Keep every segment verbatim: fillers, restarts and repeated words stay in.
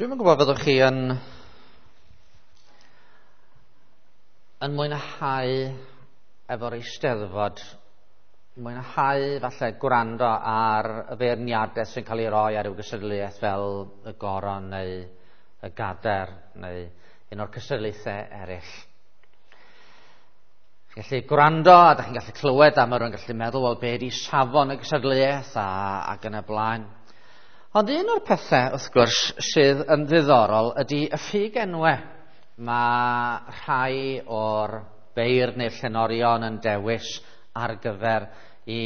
Dwi'm yn gwybod fyddwch chi yn yn mwynhau efo'r Eisteddfod, mwynhau falle gwrando ar y feirniadaeth sy'n cael ei roi ar ryw gystadleuaeth fel y Goron neu y Gader neu un o'r cystadlaethau eraill. Chi'n gallu gwrando a da chi'n gallu clywed a mae rhywun gallu meddwl, wel, be di safon y gystadleuaeth a, ac yn y blaen. Ond un o'r pethau, wrth gwrs, sydd yn ddiddorol ydy y ffug enwau. Mae rhai o'r beirdd neu'r llenorion yn dewis ar gyfer i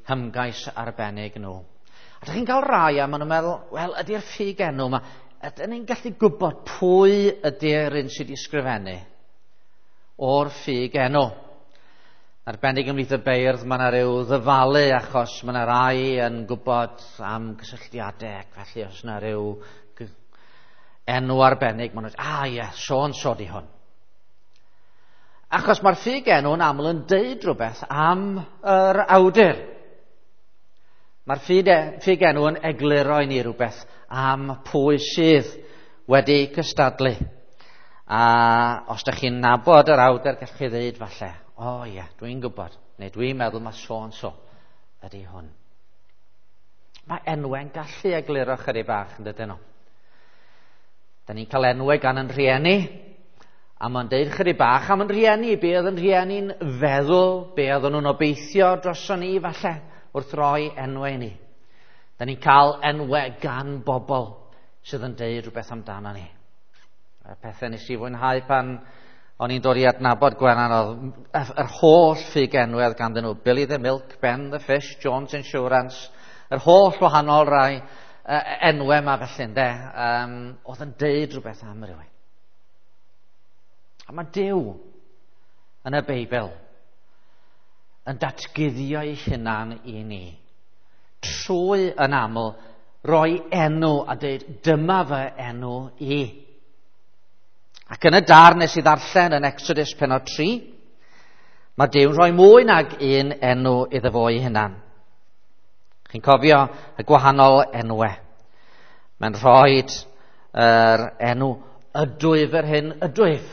hymgais arbennig nhw. A dych chi'n cael rai a maen nhw'n meddwl, wel, ydy'r ffug enw yma, ydyn ni'n gallu gwybod pwy ydy'r un sydd wedi sgrifennu o'r ffug enw? Arbennig ymhlith y beirdd, mae yna rhyw ddyfalu achos mae yna rai yn gwybod am gysylltiadau ac felly os yna rhyw enw arbennig, maen nhw'n dweud, ah ie, so-and-so di hwn. Achos mae'r ffug enw yn aml yn deud rhywbeth am yr awdur. Mae'r ffug enw yn egluro i ni rhywbeth am pwy sydd wedi cystadlu. A os ydych chi'n nabod yr awdur, gallwch chi ddeud falle, o oh, ie, yeah, dwi'n gwybod, neu dwi'n meddwl mae so-and-so ydy hwn. Mae enwau'n gallu egluro chydig bach yn dydyn nhw. Da ni'n cael enwau gan yn rhieni, a mae'n deud chydig bach am yn rhieni, be oedd yn rhieni'n feddwl, be oedden nhw'n obeithio droson ni falle, wrth roi enwau ni. Da ni'n cael enwau gan bobl sydd yn deud rhywbeth amdano ni. Y pethau nes i fwynhau pan o'n i'n dod i adnabod Gwenan oedd yr holl ffug enwau ganddyn nhw. Billy the Milk, Ben the Fish, Jones Insurance, yr holl wahanol rai enwau yma felly, ynde, um, oedd yn deud rhywbeth am rhywun. A mae Duw yn y Beibl yn datguddio ei hunan i ni trwy yn aml roi enw a deud dyma fy enw i. Ac yn y darn nes i ddarllen yn Exodus pennod tri, mae Duw'n rhoi mwy nag un enw iddo fo ei hunan. Chi'n cofio y gwahanol enwau. Mae'n rhoi yr enw ydwyf yr hyn ydwyf.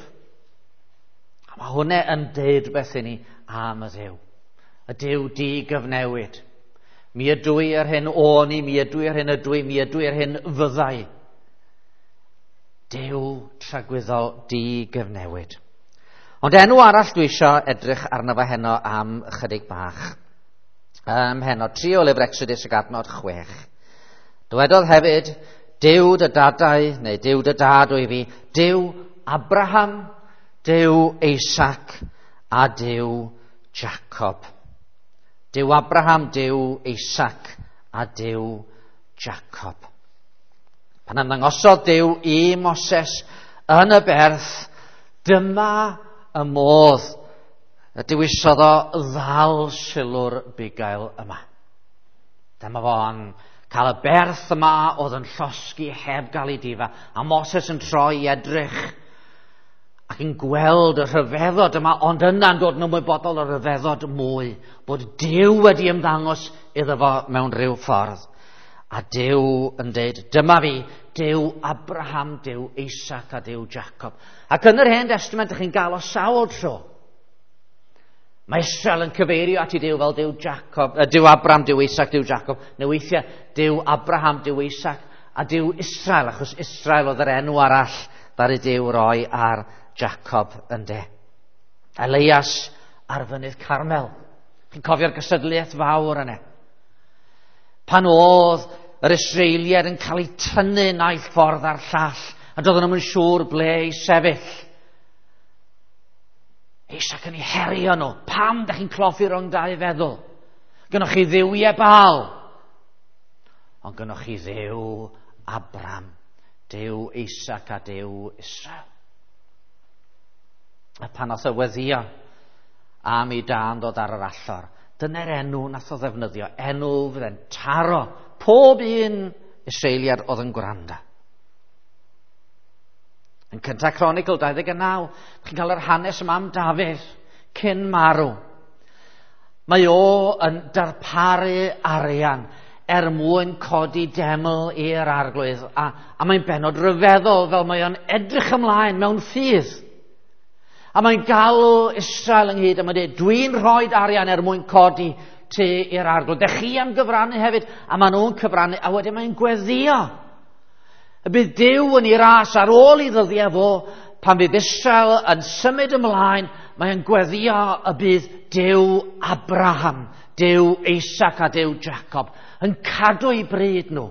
A mae hwnna yn deud rhywbeth i ni am y Dduw. Y Duw di gyfnewid. Mi ydw i yr hyn o'n i, mi ydw i yr hyn ydw i, mi ydw i yr hyn fyddai. Duw tragwyddol di gyfnewid. Ond enw arall dwi eisiau edrych arno fo heno am ychydig bach. Um, heno, tri o lyfr Exodus ag adnod chwech. Dywedodd hefyd, Duw dy dadau, neu Duw dy dad wyf fi, Duw Abraham, Duw Isaac a Duw Jacob. Duw Abraham, Duw Isaac a Duw Jacob. Pan ymddangosodd Duw i Moses yn y berth, dyma y modd y dewisodd o ddal sylw'r bugail yma. Dyma fo'n cael y berth yma oedd yn llosgi heb gael ei difa, a Moses yn troi i edrych ac yn gweld y rhyfeddod yma, ond yna'n dod yn ymwybodol o'r rhyfeddod mwy, bod Duw wedi ymddangos iddo fo mewn rhyw ffordd. A Duw yn deud, dyma fi, Duw Abraham, Duw Isaac a Duw Jacob. Ac yn yr Hen Testament, ydych chi'n gael o sawl tro. Mae Israel yn cyfeirio at ei Duw fel Duw Jacob, Duw Abraham, Duw Isaac, Duw Jacob. Neu weithiau, Duw Abraham, Duw Isaac a Duw Israel, achos Israel oedd yr enw arall ddaru Duw roi ar Jacob ynde. Elias ar fynydd Carmel. Chi'n cofio'r gystadleuaeth fawr yna. Pan oedd yr Israeliaid yn cael eu tynnu naill ffordd a'r llall, a doedden nhw'n siŵr ble i sefyll. Isaac yn ei herio nhw. Pam da chi'n cloffi rhwng dau feddwl? Gynnoch chi dduwiau Baal. Ond gynnoch chi Dduw Abraham, Duw Isaac a Duw Israel. A pan oedd y weddio am i dân ddod ar yr allor, dyna'r enw nath o ddefnyddio, enw fydde'n taro pob un Israeliad oedd yn gwrando. Yn Cynta Cronicl dau ddeg naw, chi'n cael yr hanes yma am Dafydd cyn marw. Mae o yn darparu arian er mwyn codi deml i'r Arglwydd. A, a mae'n bennod ryfeddol fel mae o'n edrych ymlaen mewn ffydd. A mae'n galw Israel ynghyd a mae'n dweud, dwi'n rhoi arian er mwyn codi tŷ i'r Arglwydd. Dech chi am gyfrannu hefyd, a maen nhw'n cyfrannu, a wedyn mae'n gweddio. Y bydd Duw yn ei ras ar ôl i ddyddiau fo, pan fydd Israel yn symud ymlaen, mae'n gweddio y bydd Duw Abraham, Duw Isaac a Duw Jacob yn cadw eu bryd nhw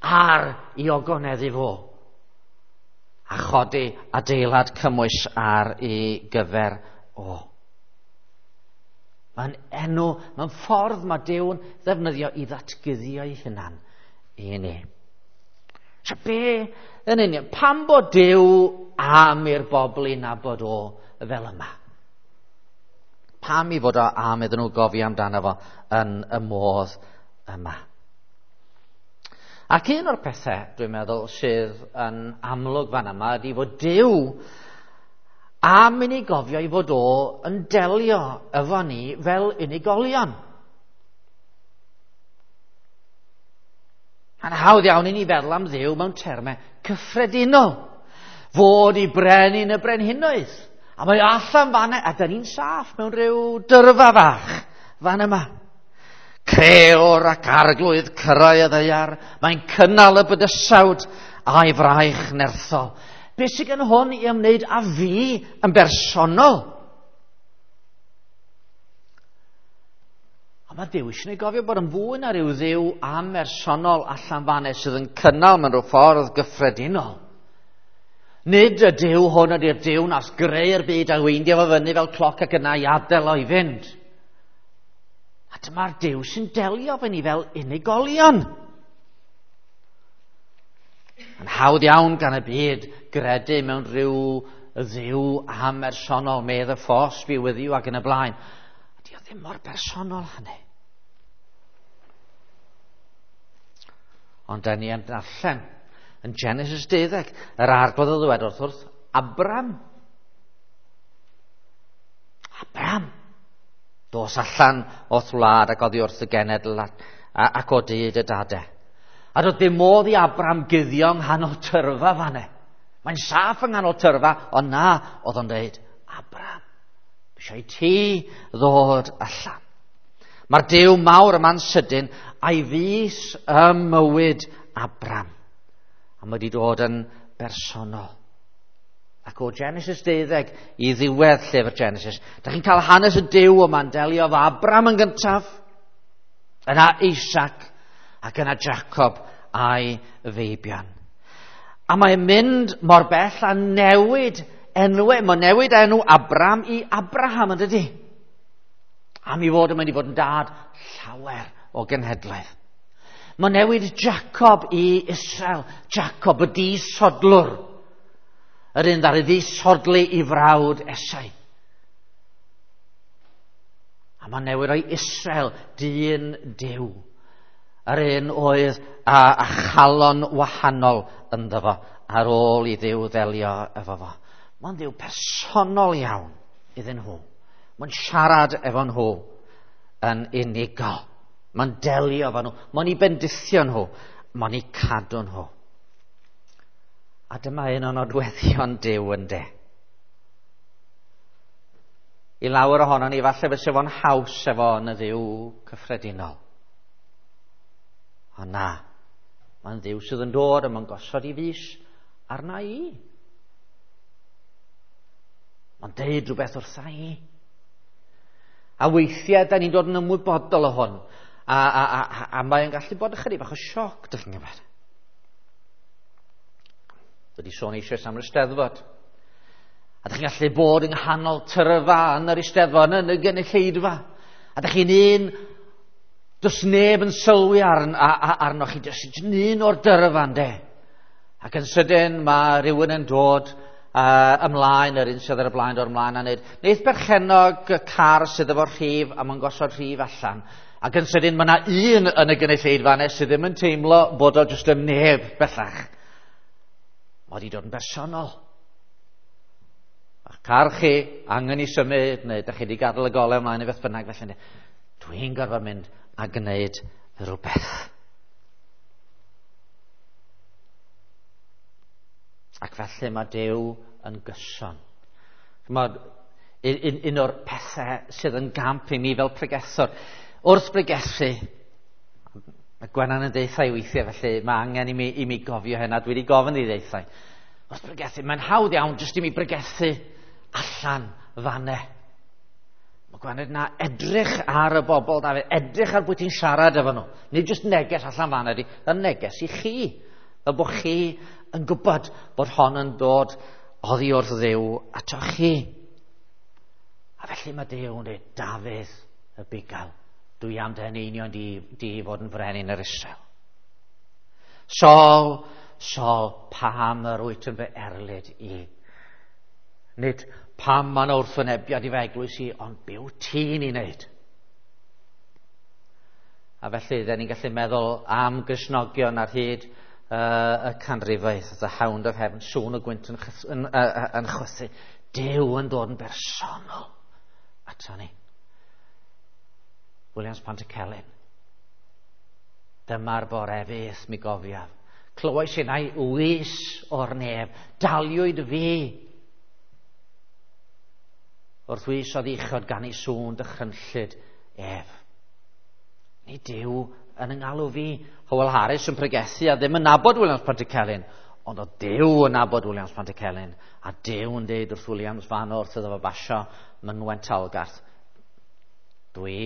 ar i ogoneddu fo a chodi adeilad cymwys ar ei gyfer o. Mae'n enw, mae'n ffordd mae Duw'n ddefnyddio i ddatguddio ei hunan i ni. So be yn union, pam bod Duw am i'r bobl i nabod o fel yma? Pam i fod o am iddyn nhw gofio amdano fo yn y modd yma? Ac un o'r pethau, dwi'n meddwl, sydd yn amlwg fan yma ydy fod Duw am i ni gofio i fod o yn delio efo ni fel unigolion. Mae'n hawdd iawn i ni feddwl am Dduw mewn termau cyffredinol. Fod i brenin y brenhinoedd. A mae allan fan a da ni'n saff mewn rhyw dyrfa fach fan yma. Creor ac arglwydd cyrraedd y ddaear, mae'n cynnal y bydysawd a'i fraich nerthol. Be sydd gen hwn i ymwneud â fi yn bersonol? A mae Duw eisiau ni gofio bod yn fwy na rhyw Dduw amhersonol allan fan sydd yn cynnal mewn rhyw ffordd gyffredinol. Nid y Duw hwn ydy'r Duw nas greu'r byd a weindio fo fyny fel cloc ac yna i adael o i fynd. A dyma'r Duw sy'n delio efo ni fel unigolion. Yn hawdd iawn gan y byd gredu mewn rhyw Dduw amhersonol, may the force be with you ac yn y blaen. A di o ddim mor bersonol hynny. Ond da ni yn darllen yn Genesis deuddeg, yr Arglwydd o ddweud wrth wrth Abram. Abram. Dos allan o'th wlad ac oddi wrth y genedl ac o dyd y dade. A doedd dim modd i Abram guddio yng nghanol tyrfa fanne. Mae'n saff yng nghanol tyrfa, ond na, oedd o'n dweud, Abram, dwi eisiau i ti ddod allan. Mae'r Duw mawr yma'n sydyn a'i fys ym mywyd Abram. A mae wedi dod yn bersonol. Ac o Genesis deuddeg i ddiwedd llyfr Genesis, da chi'n cael hanes y Duw yma'n delio efo Abram yn gyntaf, yna Isaac, ac yna Jacob a'i feibion. A mae'n mynd mor bell a newid enwau. Mae'n newid enw Abram i Abraham, yn dydi? Am i fod yn mynd i fod yn dad llawer o genhedlaeth. Mae'n newid Jacob i Israel. Jacob y disodlwr. Yr un ddaru ddisodli i frawd Esau. A mae'n newid o'i Israel, dyn Duw. Yr un oedd a, a chalon wahanol ynddo fo ar ôl i Dduw ddelio efo fo. Mae'n Dduw personol iawn iddyn nhw. Mae'n siarad efo nhw yn unigol. Mae'n delio efo nhw. Mae'n eu bendithio nhw. Mae'n eu cadw nhw. A dyma un o'n nodweddion Duw ynde. I lawer ohono ni, falle fysa fo'n haws efo yn y Dduw cyffredinol. Ond na, mae'n Dduw sydd yn dod a mae'n gosod i fys arna i. Mae'n deud rhywbeth wrtha i. A weithiau, da ni'n dod yn ymwybodol o hwn. A, a, a, a, a mae'n gallu bod ychydig bach o sioc, dych chi'n gwybod. Wedi sôn eisoes am yr Eisteddfod. A dych chi'n gallu bod yng nghanol tyrfa yn yr Eisteddfod, yn y gynulleidfa. A dych chi'n un, does neb yn sylwi arn, a, a, arnoch chi, jyst un o'r dyrfa, ynde. Ac yn sydyn mae rhywun yn dod uh, ymlaen, yr un sydd ar y blaen, dod ymlaen a neud. Neith berchennog y car sydd efo'r rhif, a mae'n gosod rhif allan. Ac yn sydyn mae yna un yn y gynulleidfa nes sydd ddim yn teimlo bod o jyst yn neb bellach. Mae wedi dod yn bersonol. A'ch car chi angen i symud, neu dach chi wedi gadael y golau ymlaen neu beth bynnag felly. Dwi'n gorfod mynd a gwneud rhywbeth. Ac felly mae Duw yn gyson. Chymod, un, un o'r pethau sydd yn gamp i mi fel pregethwr, wrth bregethu, mae Gwenan yn deutha i weithiau, felly mae angen i mi, i mi gofio hynna, dwi wedi gofyn i ddeutha. Wrth bregethu, mae'n hawdd iawn jyst i mi bregethu allan fanne. Mae Gwenan yna edrych ar y bobl, Dafydd, edrych ar bwy ti'n siarad efo nhw. Nid jyst neges allan fanne, ydi, y neges i chi. Fel bod chi yn gwybod bod hon yn dod oddi wrth Dduw ato chi. A felly mae Duw yn dweud, Dafydd y bugail, dwi am dy eneinio di, di fod yn frenin yr Israel. Saul, Saul, pam yr wyt yn fy erlid i? Nid pam mae'n wrthwynebiad i fy eglwys i, ond be wyt ti'n ei wneud? A felly, dyn ni'n gallu meddwl am Gristnogion ar hyd uh, y canrifoedd, the hound of heaven, sŵn y gwynt yn, yn, uh, yn chwythu. Duw yn dod yn bersonol ato ni. Williams Pantycelyn. Dyma'r bore fyth mi gofiaf. Clywais innau wys o'r nef. Daliwyd fi. Wrth wys oedd uchod gan ei sŵn dychrynllyd ef. Nid Duw yn yngalw fi. Howell Harris yn pregethu a ddim yn nabod Williams Pantycelyn. Ond oedd Duw yn nabod Williams Pantycelyn. A Duw yn deud wrth Williams fan wrth iddo fo basio mynwent Talgarth. Dwi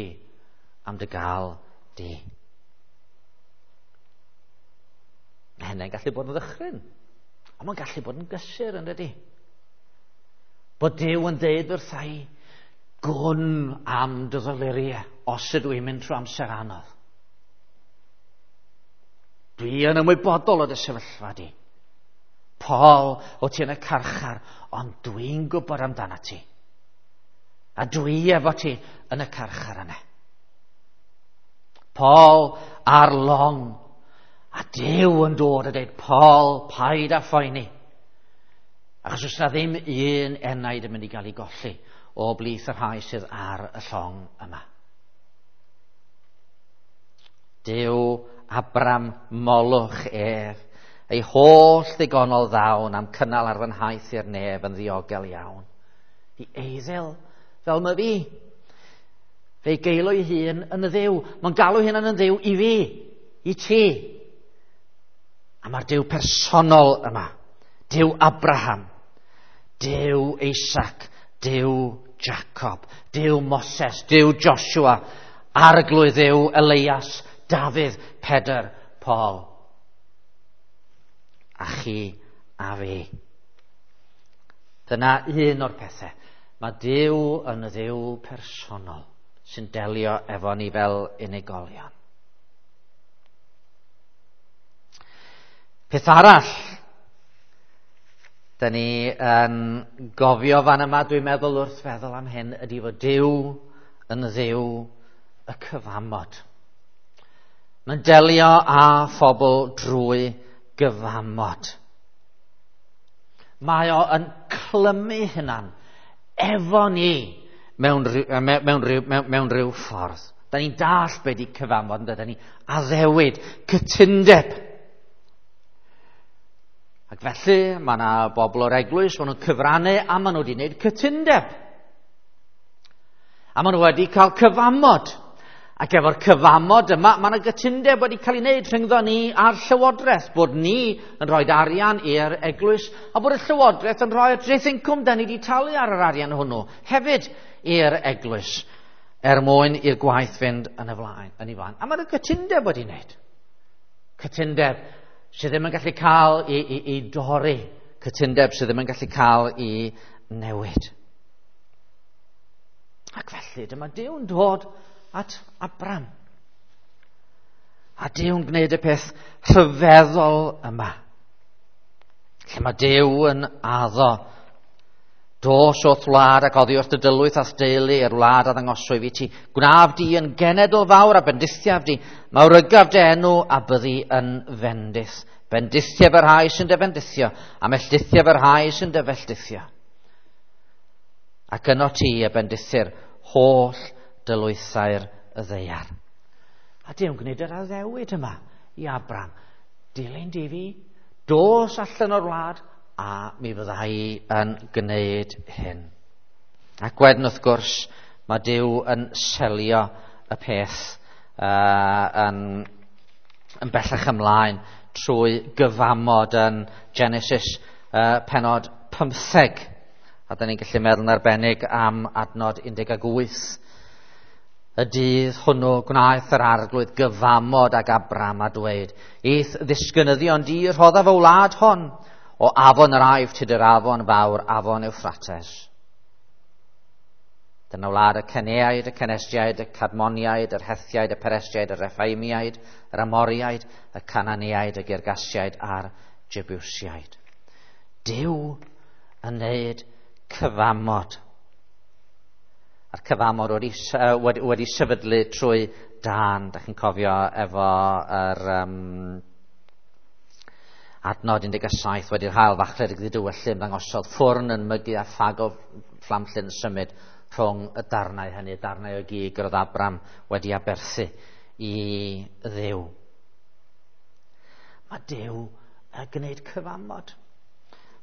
am dy gael di. Mae hynny'n gallu bod yn ddychryn. Ond mae'n gallu bod yn gysur, yn dydi? Bod Duw yn deud wrtha i, gwn am dy ddoluriau os ydw i'n mynd trwy amser anodd. Dwi yn ymwybodol o dy sefyllfa di. Paul, o ti yn y carchar, ond dwi'n gwybod amdano ti. A dwi efo ti yn y carchar yna. Paul ar long, a Duw yn dod a dweud, Paul, paid â phoeni. Achos oes na ddim un enaid yn mynd i gael ei golli o blith y rhai sydd ar y llong yma. Duw Abram molwch ef, ei holl ddigonol ddawn am cynnal ar fy nhaith i'r nef yn ddiogel iawn. I eiddil fel mae fi. Fe'i geilo ei hun yn y Dduw. Mae'n galw hunan yn Dduw i fi, i ti. A mae'r Duw personol yma. Duw Abraham, Duw Isaac, Duw Jacob, Duw Moses, Duw Joshua, Arglwydd Dduw Elias, Dafydd, Pedr, Paul. A chi a fi. Dyna un o'r pethau. Mae Duw yn y Dduw personol sy'n delio efo ni fel unigolion. Peth arall, da ni yn gofio fan yma, dwi'n meddwl wrth feddwl am hyn, ydy fod Duw yn Dduw y cyfamod. Mae'n delio â phobl drwy gyfamod. Mae o yn clymu hunan efo ni mewn, mewn, mewn, mewn, mewn rhyw ffordd. Da ni'n dallt be di cyfamod, da ni addewid, cytundeb. Ac felly, mae yna bobl o'r eglwys, maen nhw'n cyfrannu a maen nhw wedi gwneud cytundeb. A maen nhw wedi cael cyfamod. Ac efo'r cyfamod yma, mae yna gytundeb wedi cael ei wneud rhyngddo ni a'r llywodraeth, bod ni yn rhoi arian i'r eglwys, a bod y llywodraeth yn rhoi'r dreth incwm da ni wedi talu ar yr arian hwnnw hefyd i'r eglwys, er mwyn i'r gwaith fynd yn y flaen, yn ei flaen. A mae yna gytundeb wedi wneud. Cytundeb sydd ddim yn gallu cael i, i, i dorri, cytundeb sydd ddim yn gallu cael i newid. Ac felly, dyma Duw'n dod at Abram. A Duw'n gwneud y peth rhyfeddol yma. Lle mae Duw yn addo, dos o'th wlad ac oddi wrth dy dylwyth a'th deulu i'r wlad a ddangoswyf i ti. Gwnaf di yn genedl fawr a bendithiaf di, mawrygaf dy enw a byddi yn fendith. Bendithiaf y rhai sy'n dy fendithio, a melltithiaf y rhai sy'n dy felltithio. Ac yno ti y bendithir holl dylwythau'r y ddaear. A Duw'n gwneud yr addewid yma i Abram. Dilyn di fi, dos allan o'r wlad, a mi fydda i yn gwneud hyn. Ac wedyn wrth gwrs, mae Duw yn selio y peth uh, yn, yn bellach ymlaen trwy gyfamod yn Genesis uh, penod pymtheg. A da ni'n gallu meddwl yn arbennig am adnod un deg wyth. Y dydd hwnnw gwnaeth yr arglwydd gyfamod ag Abram a dweud, I'th ddisgynyddion di rhoddaf y wlad hon, o afon yr Aifft hyd yr afon fawr, afon Ewffrates. Dyna wlad y Ceneaid, y Cenestiaid, y Cadmoniaid, yr Hethiaid, y Peresiaid, y Reffaimiaid, yr Amoriaid, y Cananiaid, y Girgasiaid a'r Jebusiaid. Duw yn neud cyfamod. A'r cyfamod wedi, wedi, wedi sefydlu trwy dân. Da chi'n cofio efo yr um, adnod un deg saith, wedi'r haul fachlud ag ddidywyllu ymddangosodd ffwrn yn mygu a ffag o fflamllyd yn symud rhwng y darnau hynny, darnau o gig yr oedd Abram wedi aberthu i Dduw. Mae Duw yn gwneud cyfamod.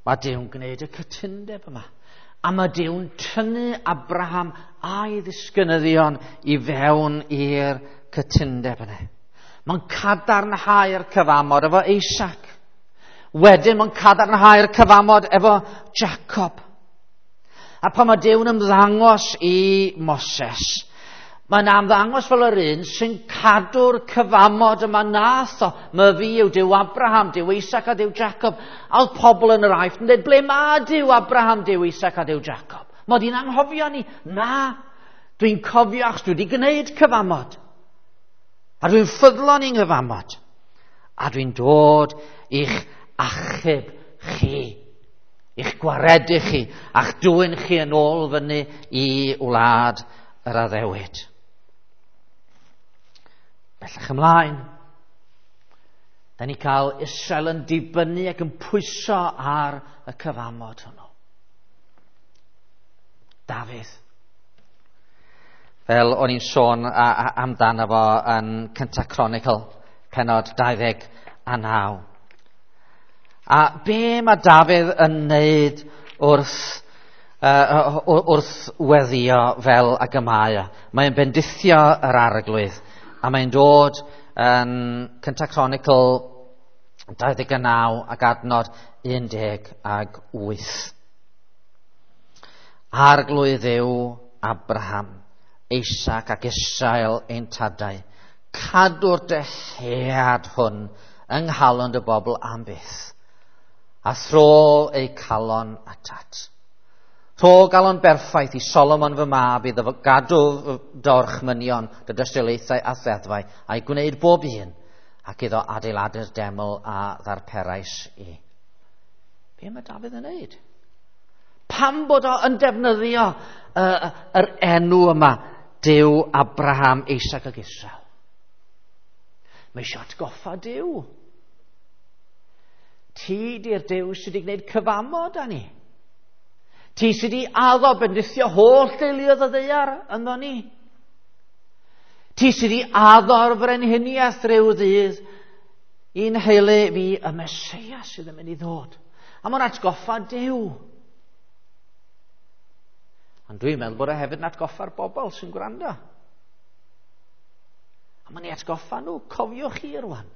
Mae Duw'n gwneud y cytundeb yma. A mae Duw'n tynnu Abraham a'i ddisgynyddion i fewn i'r cytundeb yna. Mae'n cadarnhau'r cyfamod efo Isaac. Wedyn mae'n cadarnhau'r cyfamod efo Jacob. A pan mae Duw'n ymddangos i Moses, mae'n ymddangos fel yr un sy'n cadw'r cyfamod yma nath o. Mae fi yw Duw Abraham, Duw Isaac a Duw Jacob. A oedd pobl yn yr Aifft yn dweud, ble mae Duw Abraham, Duw Isaac a Duw Jacob? Mod i'n anghofio ni? Na, dwi'n cofio achos dwi wedi gwneud cyfamod. A dwi'n ffyddlon i'n nghyfamod. A dwi'n dod i'ch achub chi, i'ch gwaredu chi, a'ch dwyn chi yn ôl fyny i wlad yr addewid. Bellach ymlaen, da ni cael Israel yn dibynnu ac yn pwyso ar y cyfamod hwnnw. Dafydd. Fel o'n i'n sôn amdano fo yn Cynta Chronicle, penod dau ddeg a naw. A be mae Dafydd yn neud wrth, uh, wrth weddio fel ag y mae o? Mae'n bendithio yr arglwydd, a mae'n dod yn Cynta Chronicle dau ddeg a naw ac adnod un deg ag wyth. Arglwydd yw Abraham, Isaac ac Israel ein tadau. Cadw'r dyhead hwn yng nghalon dy bobl am byth, a thro eu calon atat. Rho galon berffaith i Solomon fy mab iddo gadw dorchmynion dy dystiolaethau a ddeddfau, a'i gwneud bob un, ac iddo adeiladu'r deml a ddarperais i. Be mae Dafydd yn neud? Pam bod o yn defnyddio uh, yr enw yma, Duw Abraham, Isaac ac Israel? Mae eisiau atgoffa Duw. Ti di'r Duw sydd wedi gwneud cyfamod â ni. Ti sydd wedi addo bendithio holl deuluoedd y ddaear ynddo ni. Ti sydd wedi addo'r frenhiniaeth rhyw ddydd i'n heulu fi y Meseia sydd yn mynd i ddod. A mae'n atgoffa Duw. Ond dwi'n meddwl bod e hefyd yn atgoffa'r bobl sy'n gwrando. A mae'n ei atgoffa nhw, cofiwch chi rwan.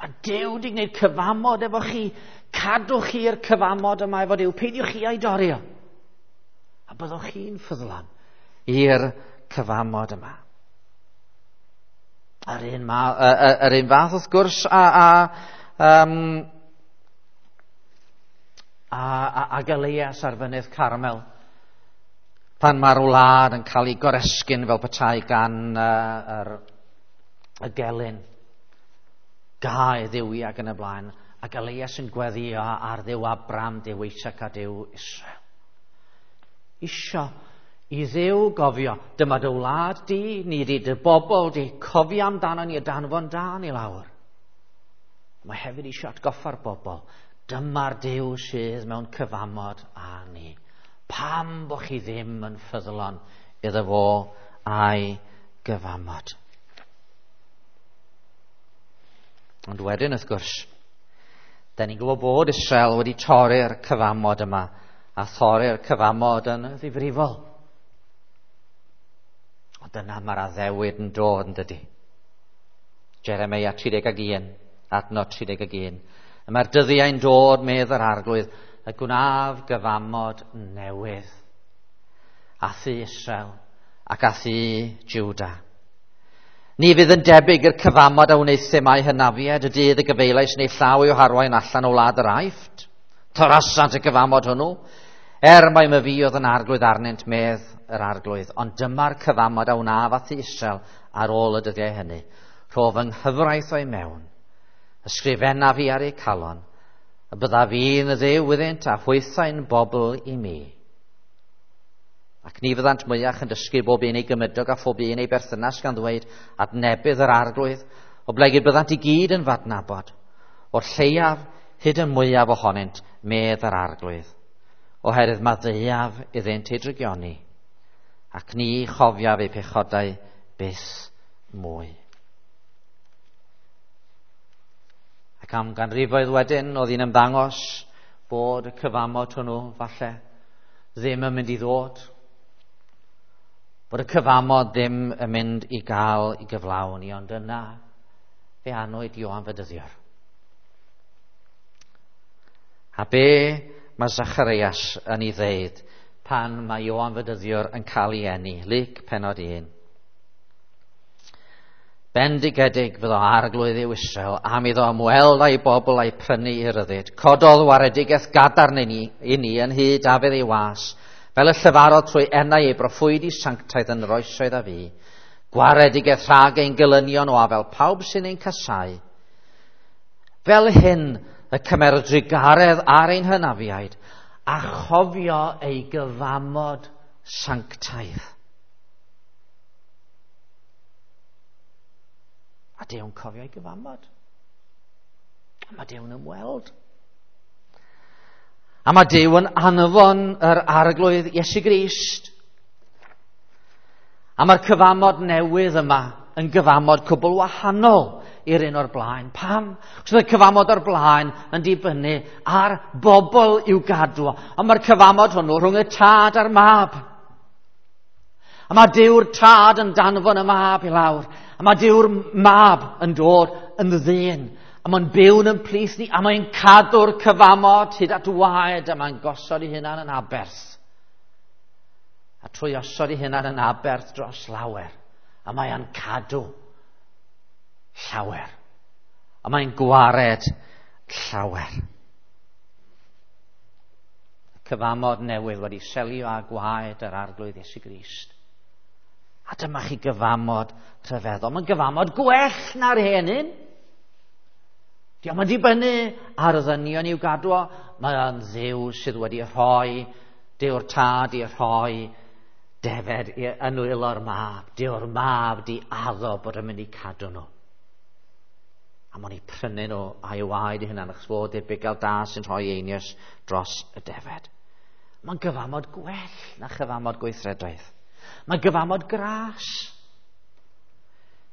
Mae Duw wedi gwneud cyfamod efo chi. Cadwch chi'r cyfamod yma efo Duw. Peidiwch chi a'i dorio. A byddwch chi'n ffyddlon i'r cyfamod yma. Yr un, ma, yr un fath wrth gwrs a, a, um, a, a, ag Elias ar fynydd Carmel. Pan mae'r wlad yn cael ei goresgyn fel petai gan uh, yr, y gelyn. Gau dduwi ac yn y blaen, ac Elias yn gweddio ar Dduw Abraham, Duw Isaac a Duw Israel. Isio i Dduw gofio, dyma dy wlad di, ni di dy bobl di, cofio amdano ni a danfon dan i lawr. Mae hefyd isio atgoffa'r bobl, dyma'r Duw sydd mewn cyfamod â ni. Pam bo chi ddim yn ffyddlon iddo fo a'i gyfamod? Ond wedyn, wrth gwrs, Da ni'n gwybod bod Israel wedi torri'r cyfamod yma, a thorri'r cyfamod yn ddifrifol. Ond dyna mae'r addewid yn dod yn dydy. Jeremia tri deg un, adnod tri deg un. Y mae'r dyddiau'n dod, medd yr Arglwydd, y gwnaf gyfamod newydd. A thŷ Israel ac a thŷ Juda. Ni fydd yn debyg i'r cyfamod a wnaethum â'u hynafiaid y dydd y gyfeilais neu llaw i'w harwain allan o wlad yr Aifft. Torasant y cyfamod hwnnw, er mai myfi oedd yn arglwydd arnynt, medd yr Arglwydd. Ond dyma'r cyfamod a wnaf â thŷ Israel ar ôl y dyddiau hynny. Rho fy nghyfraith o'i mewn, ysgrifennaf fi ar eu calon, y byddaf fi'n dduw iddynt a hwythau'n bobl i mi. Ac ni fyddant mwyach yn dysgu bob un ei gymydog a phob un ei berthynas gan ddweud adnebydd yr Arglwydd, oblegid byddant i gyd yn fadnabod, o'r lleiaf hyd y mwyaf ohonynt, medd yr Arglwydd, oherwydd maddeuaf iddynt eu drygioni, ac ni chofiaf eu pechodau byth mwy. Ac am ganrifoedd wedyn, oedd hi'n ymddangos bod y cyfamod hwnnw, falle, ddim yn mynd i ddod. Bod y cyfamod ddim yn mynd i gael i gyflawni, ond yna fe anwyd Ioan Fedyddiwr. A be mae Zacharias yn ei ddeud pan mae Ioan Fedyddiwr yn cael ei eni? Luc pennod un. Bendigedig fyddo Arglwydd yw Israel am iddo ymweld â'i bobl a'i prynu i ryddid. Cododd waredigaeth gadarn i ni, i ni yn hyd Dafydd ei was, fel y llefarodd trwy enau ei broffwydi sanctaidd yn yr oesoedd a fu. Gwaredigaeth rhag ein gelynion o afel pawb sy'n ein casau. Fel hyn y cymer drugaredd ar ein hynafiaid a chofio ei gyfamod sanctaidd. A Duw'n cofio ei gyfamod. A mae Duw'n ymweld. A mae Duw yn anfon yr Arglwydd Iesu Grist. A mae'r cyfamod newydd yma yn gyfamod cwbl wahanol i'r un o'r blaen. Pam? Achos mae'r cyfamod o'r blaen yn dibynnu ar bobl i'w gadw. A mae'r cyfamod hwnnw rhwng y tad a'r mab. A mae Duw'r tad yn danfon y mab i lawr. A mae Duw'r mab yn dod yn ddyn. A mae'n byw'n yn plith ni. A mae'n cadw'r cyfamod hyd at waed. A mae'n gosod ei hunan yn aberth. A trwy osod ei hunan yn aberth dros lawer. A mae'n cadw llawer. A mae'n gwared llawer. Y cyfamod newydd wedi selio â gwaed yr Arglwydd Iesu Grist. A dyma chi gyfamod rhyfeddol. Mae'n gyfamod gwell na'r hen un. Dio'm yn dibynnu ar y ddynion i'w gadw o. Mae o'n Dduw sydd wedi rhoi, Duw'r tad i rhoi defed yn nwylo'r mab. Duw'r mab di addo bod yn mynd i cadw nhw. A mae'n eu prynu nhw a'i waed i hunan, achos fod i'r bugail da sy'n rhoi einioes dros y defed. Mae'n gyfamod gwell na chyfamod gweithredoedd. Mae gyfamod gras.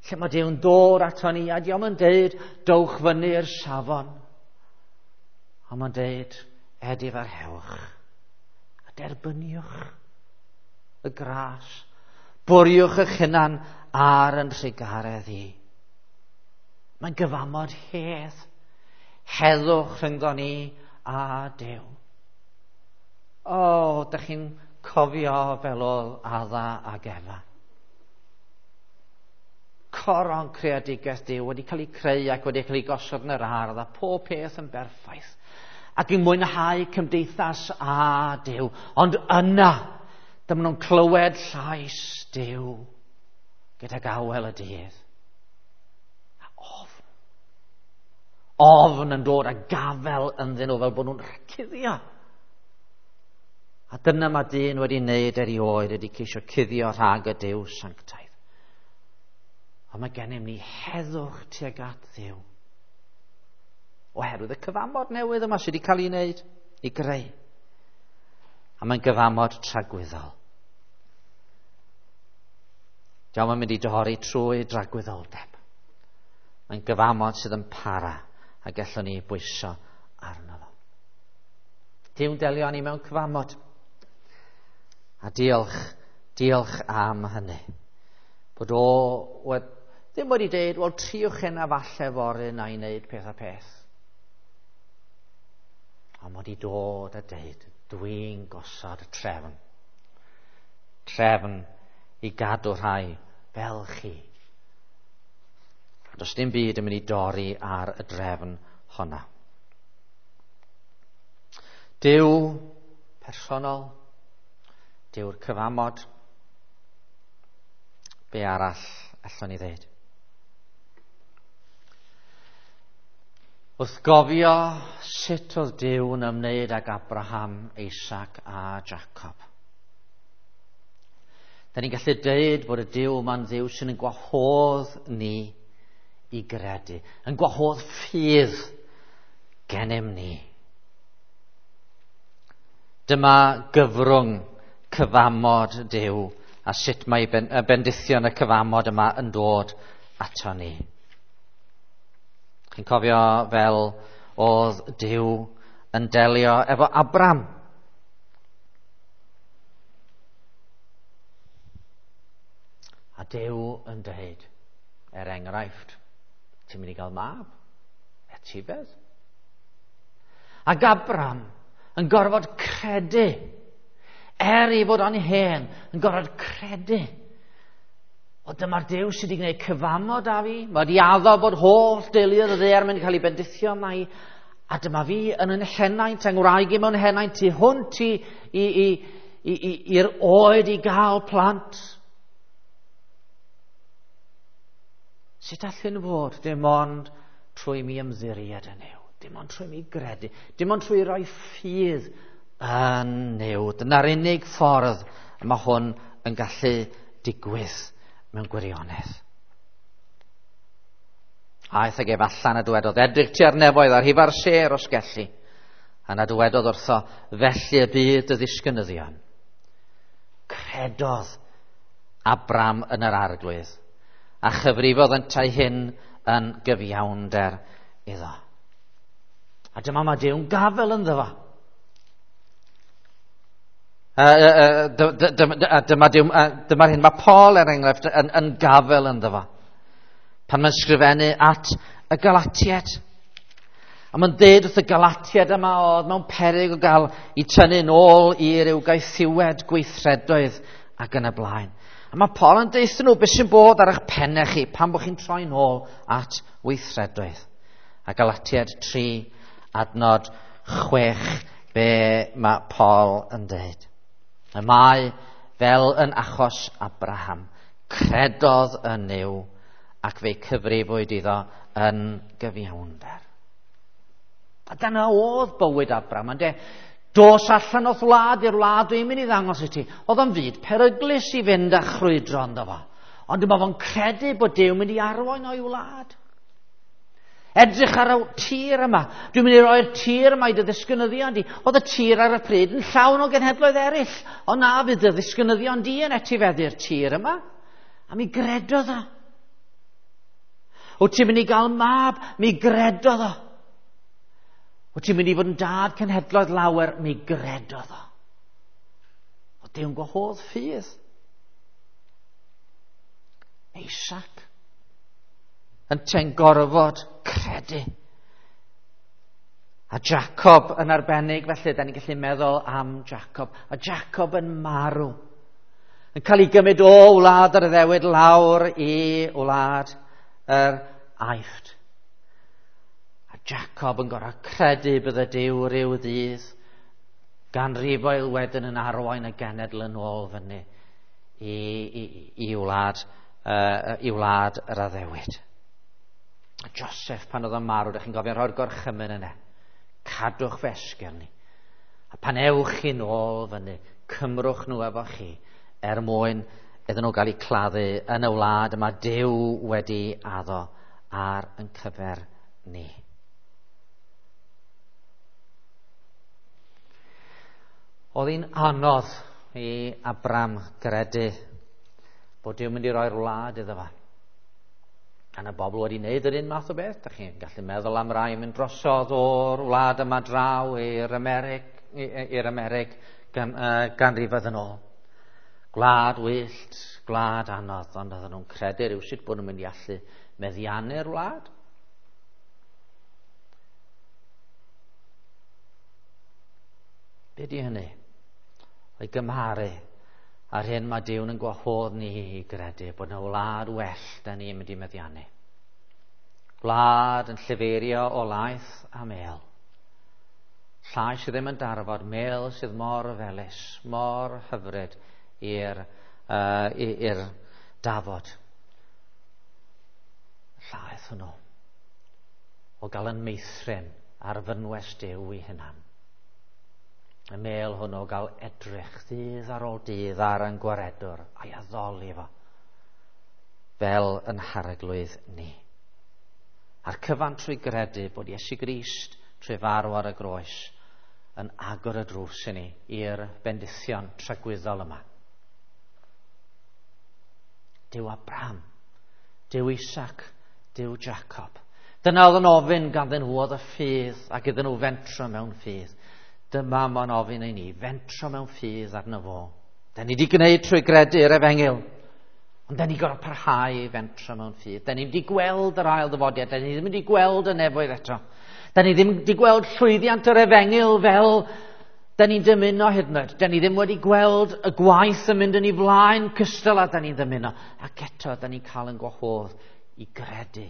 Lle mae Duw'n dod ato ni, a dio'm yn deud, dowch fyny'r safon. Ond mae'n deud, edifarhewch a derbyniwch y gras. Bwriwch eich hunan ar yn trugaredd i. Mae'n gyfamod hedd. Heddwch rhyngddo ni a Duw. O, dych chi'n cofio fel oedd Adda ag Efa. Coron creadigaeth Duw wedi cael ei creu ac wedi cael ei gosod yn yr ardd a pob peth yn berffaith. Ac yn mwynhau cymdeithas â Duw. Ond yna, dyma nhw'n clywed llais Duw gydag awel y dydd. A ofn. Ofn yn dod a gafel ynddyn nhw fel bod nhw'n cuddio. A dyna mae dyn wedi wneud erioed, wedi ceisio cuddio rhag y Duw sanctaidd. Ond mae gennym ni heddwch tuag at Dduw. Oherwydd y cyfamod newydd yma sydd wedi cael ei wneud, ei greu. A mae'n gyfamod tragwyddol. Dio'm yn mynd i dorri trwy dragwyddoldeb. Mae'n gyfamod sydd yn para a gallwn ni bwyso arno fo. Duw'n delio â ni mewn cyfamod. A diolch, diolch am hynny. Bod o wed, ddim wedi deud, wel, triwch hynna falle fory na i wneud peth a peth. Ond wedi dod a deud, dwi'n gosod y trefn. Trefn i gadw rhai fel chi. Does dim byd yn mynd i dorri ar y drefn honna. Duw personol, Duw'r cyfamod, be arall allwn ni ddeud? Wrth gofio sut oedd Duw yn ymwneud ag Abraham, Isaac a Jacob, da ni'n gallu deud bod y Duw yma'n Dduw sy'n yn gwahodd ni i gredu, yn gwahodd ffydd gennym ni. Dyma gyfrwng cyfamod Duw a sut mae bendithion y cyfamod yma yn dod ato ni. Chi'n cofio fel oedd Duw yn delio efo Abram. A Duw yn dweud, er enghraifft, ti'n mynd i gael mab, etifedd. Ac Abram yn gorfod credu, er ei fod o'n hen, yn gorfod credu. O, dyma'r Duw sydd wedi gwneud cyfamod â fi. Mae wedi addo bod holl deuluoedd y ddaear mynd i cael ei bendithio yma i. A dyma fi yn yn henaint, yng ngwraig i mewn henaint, tu hwnt i, i, i, i, i, i'r oed i gael plant. Sut all hyn fod? Dim ond trwy mi ymddiried yn Nuw. Dim ond trwy mi gredu. Dim ond trwy roi ffydd yn Nuw. Dyna'r unig ffordd mae hwn yn gallu digwydd mewn gwirionedd. Aeth ag ef allan a dywedodd, edrych tua'r nefoedd ar hifa'r sêr os gelli. A na dywedodd wrtho, felly y bydd dy ddisgynyddion. Credodd Abram yn yr Arglwydd, a chyfrifodd yntau hyn yn gyfiawnder iddo. A dyma mae Duw'n gafel ynddo fo. Dyma dyma'r hyn mae Paul, er enghraifft, yn, yn gafel ynddo fo. Pan mae'n sgrifennu at y Galatiaid. A mae'n deud wrth y Galatiaid yma oedd mewn peryg o gael i tynnu nôl i ryw gaethiwed gweithredoedd ac yn y blaen. A mae Paul yn deutha nhw beth sy'n bod ar eich pennau chi pan bod chi'n troi nôl at weithredoedd. A Galatiaid tri adnod chwech, be mae Paul yn deud. Y mae fel yn achos Abraham, credodd yn Nuw ac fe'i cyfrifwyd iddo yn gyfiawnder. A dyna oedd bywyd Abraham, ynde? Dos allan o'th wlad i'r wlad dwi'n mynd i ddangos i ti. Oedd o'n fyd peryglus i fynd a chrwydro ynddo fo. Ond dyma fo'n credu bod Duw mynd i arwain o'i wlad. Edrych ar y tir yma. Dwi'n mynd i roi'r tir yma i dy ddisgynyddion di. Oedd y tir ar y pryd yn llawn o genhedloedd eraill. Ond na fydd dy ddisgynyddion di yn etifeddu'r tir yma. A mi gredodd o. Wyt ti'n mynd i gael mab? Mi gredodd o. Wyt ti'n mynd i fod yn dad cenhedloedd lawer? Mi gredodd o. O, Duw'n gwahodd ffydd. Isaac yn gorfod credu. A Jacob yn arbennig, felly, da ni'n gallu meddwl am Jacob. A Jacob yn marw. Yn cael ei gymryd o wlad yr addewid lawr i wlad yr Aifft. A Jacob yn gorfod credu bydde Duw ryw ddydd ganrifoedd wedyn yn arwain y genedl yn ôl fyny i, i, i wlad, uh, i wlad yr addewid. A Joseph, pan oedd o'n marw, dych chi'n gofio rhoi'r gorchymyn yna. Cadwch fy esgyrn ni. A pan ewch chi nôl fyny, cymrwch nhw efo chi, er mwyn iddyn nhw gael eu claddu yn y wlad yma Duw wedi addo ar yn cyfer ni. Oedd hi'n anodd i Abram gredu bod Duw mynd i roi'r wlad iddo fo. Yna bobl wedi wneud yr un math o beth. Da chi'n gallu meddwl am rai yn mynd drosodd o'r wlad yma draw i'r Amerig, i'r Amerig gan, uh, ganrifoedd yn ôl. Gwlad wyllt, gwlad anodd, ond oedden nhw'n credu rhywsut bod nhw'n mynd i allu meddiannu'r wlad. Be di hynny? O'i gymharu a'r hyn mae Duw yn gwahodd ni i gredu bod yna wlad well da ni'n mynd i meddiannu. Gwlad yn llifeirio o laeth a mel. Llai sydd ddim yn darfod, mel sydd mor felys, mor hyfryd i'r uh, i'r dafod. Llaeth hwnnw o gael yn meithrin ar fynwes Duw i hunan. Y mel hwnnw gael edrych ddydd ar ôl dydd ar yn gwaredwr a'i addoli fo fel yn harglwydd ni. A'r cyfan trwy gredu bod Iesu Grist trwy farw ar y groes yn agor y drws i ni i'r bendithion tragwyddol yma. Duw Abraham, Duw Isaac, Duw Jacob. Dyna oedd yn ofyn ganddyn nhw oedd y ffydd ac iddyn nhw fentro mewn ffydd. Dyma mae'n ofyn i ni, fentro mewn ffydd arno fo. Da ni wedi gwneud trwy gredu'r efengyl, ond da ni gorfod parhau i fentro mewn ffydd. Da ni wedi gweld yr ail ddyfodiad, da ni ddim wedi gweld y nefoedd eto. Da ni ddim wedi gweld llwyddiant yr efengyl fel da ni'n dymuno hyd yn oed. Da ni ddim wedi gweld y gwaith yn mynd yn ei flaen cystal â da ni'n dymuno. Ac eto, da ni'n cael yn gwahodd i gredu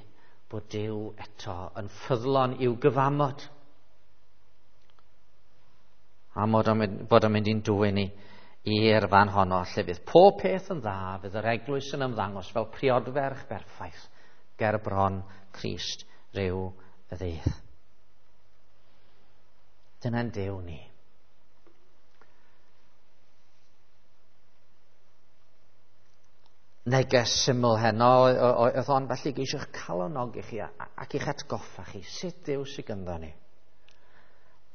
bod Duw eto yn ffyddlon i'w gyfamod. A bod o'n mynd i'n dwyn ni i'r fan honno, lle fydd pob peth yn dda, fydd yr eglwys yn ymddangos fel priodferch berffaith ger bron Crist ryw ddydd. Dyna'n Duw ni. Neges syml heno oedd hon, felly geisiwch calonogi chi ac i'ch atgoffa chi sut Duw sydd gynddo ni.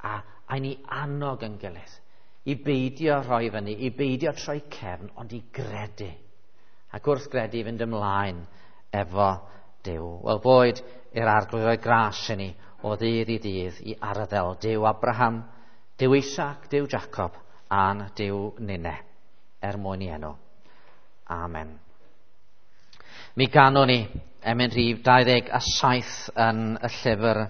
A, a ni annog yn gilydd i beidio rhoi fyny, i beidio troi cefn, ond i gredu. Ac wrth gredu i fynd ymlaen efo Duw. Wel, boed i'r Arglwydd roi gras i ni o ddydd i ddydd i arddel Duw Abraham, Duw Isaac, Duw Jacob, a'n Duw ninne, er mwyn i enw. Amen. Mi ganwn ni emyn rhif dau ddeg a saith yn y llyfr